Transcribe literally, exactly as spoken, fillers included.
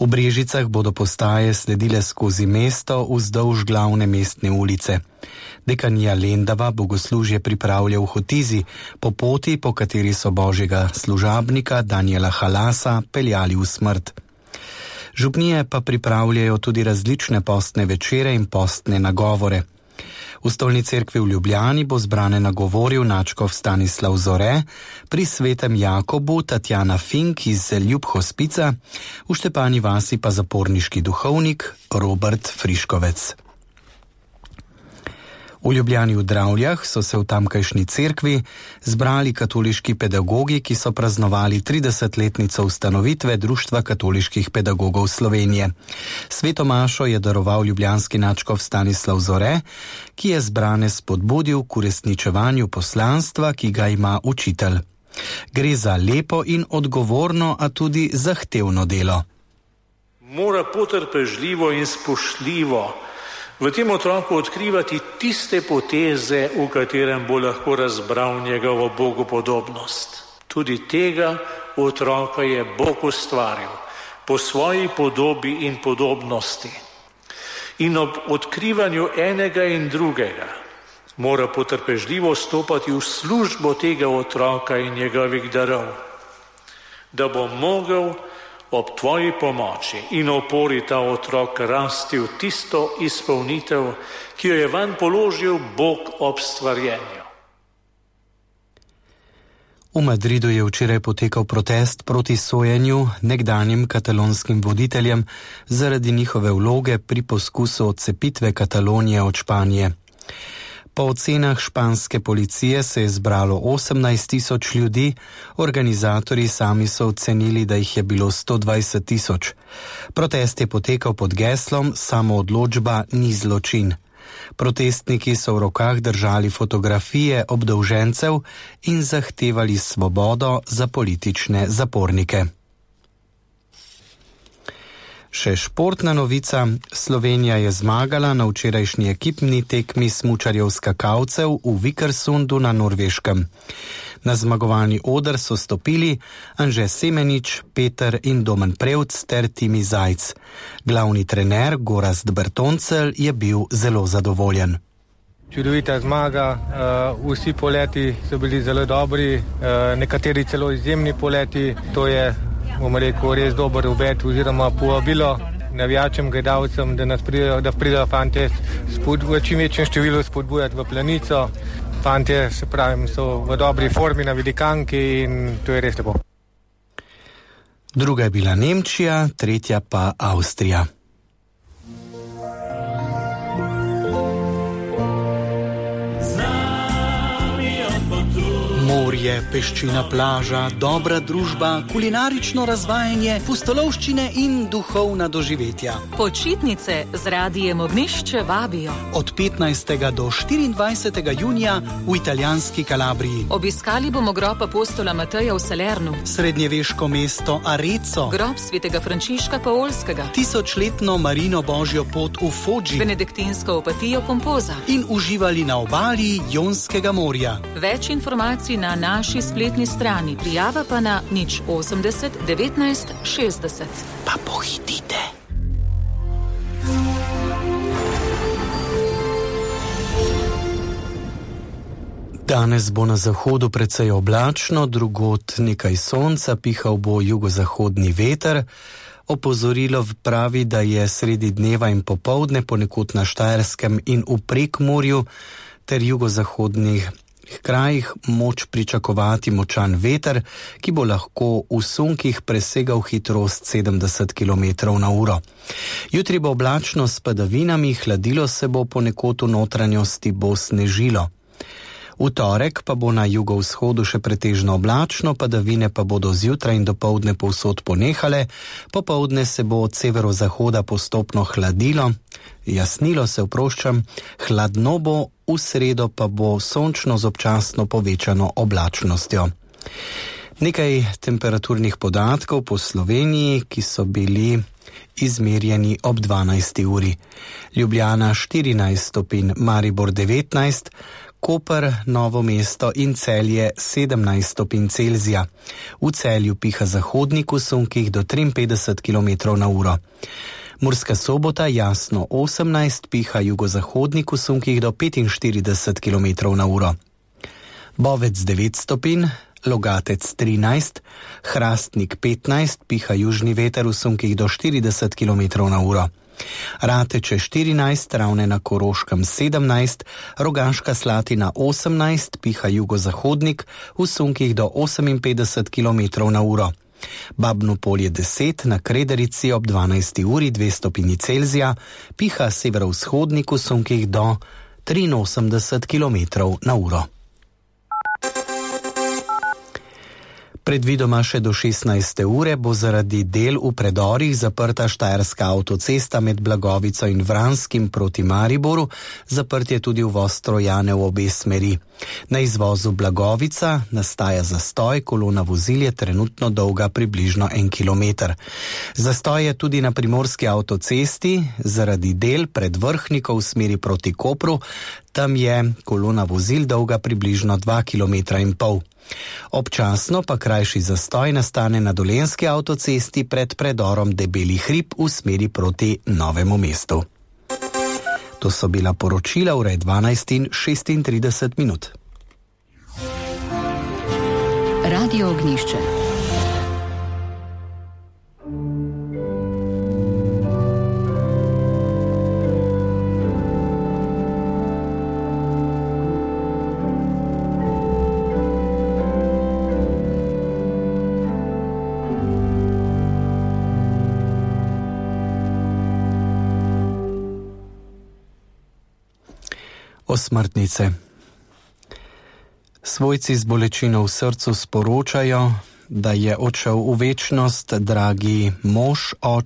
V Brežicah bodo postaje sledile skozi mesto vzdolž glavne mestne ulice. Dekanija Lendava bogoslužje pripravlja v Hotizi, po poti, po kateri so božjega služabnika Daniela Halasa peljali v smrt. Župnije pa pripravljajo tudi različne postne večere in postne nagovore. V Stolni cerkvi v Ljubljani bo zbrane nagovoril nadškof Stanislav Zore, pri Svetem Jakobu Tatjana Fink iz Ljubhospica, v Štepani vasi pa zaporniški duhovnik Robert Friškovec. V Ljubljani v Dravljah so se v tamkajšnji cerkvi zbrali katoliški pedagogi, ki so praznovali tridesetletnico ustanovitve Društva katoliških pedagogov Slovenije. Sveto mašo je daroval ljubljanski nadškof Stanislav Zore, ki je zbrane spodbudil k uresničevanju poslanstva, ki ga ima učitelj. Gre za lepo in odgovorno, a tudi zahtevno delo. Mora potrpežljivo in spoštljivo v tem otroku odkrivati tiste poteze, v katerem bo lahko razbral njegovo bogopodobnost. Tudi tega otroka je Bog ustvaril po svoji podobi in podobnosti. In ob odkrivanju enega in drugega mora potrpežljivo stopati v službo tega otroka in njegovih darov, da bo mogel ob tvoji pomoči in opori ta otrok rasti v tisto izpolnitev, ki jo je vanj položil Bog ob stvarjenju. V Madridu je včeraj potekal protest proti sojenju nekdanjim katalonskim voditeljem zaradi njihove vloge pri poskusu odcepitve Katalonije od Španije. Po ocenah španske policije se je zbralo osemnajst tisoč ljudi, organizatorji sami so ocenili, da jih je bilo sto dvajset tisoč. Protest je potekal pod geslom Samoodločba ni zločin. Protestniki so v rokah držali fotografije obdolžencev in zahtevali svobodo za politične zapornike. Še športna novica. Slovenija je zmagala na včerajšnji ekipni tekmi smučarjev skakalcev v Vikersundu na Norveškem. Na zmagovalni oder so stopili Anže Semenič, Peter in Domen Prevc ter Timi Zajc. Glavni trener Gorazd Bertoncelj je bil zelo zadovoljen. Čudovita zmaga, uh, vsi poleti so bili zelo dobri, uh, nekateri celo izjemni poleti, to je bomo rekel, res dober obet oziroma povabilo navijačem, gledalcem, da nas pridejo, da pridejo fantje spod, v čim večjem številu spodbujati v Planico. Fantje, se pravim, so v dobri formi na velikanki in to je res lepo. Druga je bila Nemčija, tretja pa Avstrija. Morje, peščina plaža, dobra družba, kulinarično razvajanje, pustolovščine in duhovna doživetja. Počitnice z Radijem Ognjišče vabijo. Od petnajstega do štiriindvajsetega junija v italijanski Kalabriji. Obiskali bomo grob apostola Mateja v Salernu, srednjeveško mesto Arezzo, grob svetega Frančiška Paolskega, tisočletno Marino Božjo pot v Foggi, benediktinsko opatijo Pompoza in uživali na obali Jonskega morja. Več informacij na naši spletni strani, prijava pa na nič osemdeset devetnajst šestdeset. Pa pohitite. Danes bo na zahodu precej oblačno, drugod nekaj sonca, pihal bo jugozahodni veter. Opozorilo pravi, da je sredi dneva in popoldne ponekod na Štajerskem in v Prekmurju ter jugozahodnih krajih moč pričakovati močan veter, ki bo lahko v sunkih presegal hitrost sedemdeset kilometrov na uro. Jutri bo oblačno s padavinami, hladilo se bo, ponekod v notranjosti bo snežilo. V torek pa bo na jugovzhodu še pretežno oblačno, padavine pa bodo zjutraj in dopoldne povsod ponehale, popoldne se bo od severozahoda postopno hladilo, jasnilo se oproščam, hladno bo, v sredo pa bo sončno z občasno povečano oblačnostjo. Nekaj temperaturnih podatkov po Sloveniji, ki so bili izmerjeni ob dvanajsti uri. Ljubljana štirinajst stopinj, Maribor devetnajst, Koper, Novo mesto in Celje sedemnajst stopinj Celzija. V Celju piha zahodnik v sunkih do triinpetdeset kilometrov na uro. Murska Sobota, Jasno osemnajst, piha jugozahodnik v sunkih do petinštirideset kilometrov na uro. Bovec devet stopinj, Logatec trinajst, Hrastnik petnajst, piha južni veter v sunkih do štirideset kilometrov na uro. Rateče štirinajst, Ravne na Koroškem sedemnajst, Rogaška Slatina osemnajst, piha jugozahodnik v sunkih do oseminpetdeset kilometrov na uro. Babno Polje deset, na Krederici ob dvanajsti uri dve stopinji Celzija, piha severovzhodnik v sunkih do triinosemdeset kilometrov na uro. Predvidoma še do šestnajste ure bo zaradi del v predorih zaprta štajerska avtocesta med Blagovico in Vranskim proti Mariboru, zaprt je tudi uvoz Trojane v obe smeri. Na izvozu Blagovica nastaja zastoj, kolona vozil je trenutno dolga približno en kilometer. Zastoj je tudi na primorski avtocesti zaradi del pred Vrhnikov v smeri proti Kopru, tam je kolona vozil dolga približno dva kilometra in pol. Občasno pa krajši zastoj nastane na Dolenjski avtocesti pred predorom Debeli hrib v smeri proti Novemu mestu. To so bila poročila ure dvanajst in šestintrideset minut. Radio Ognjišče. Osmrtnice. Svojci z bolečino v srcu sporočajo, da je odšel v večnost dragi mož, oče,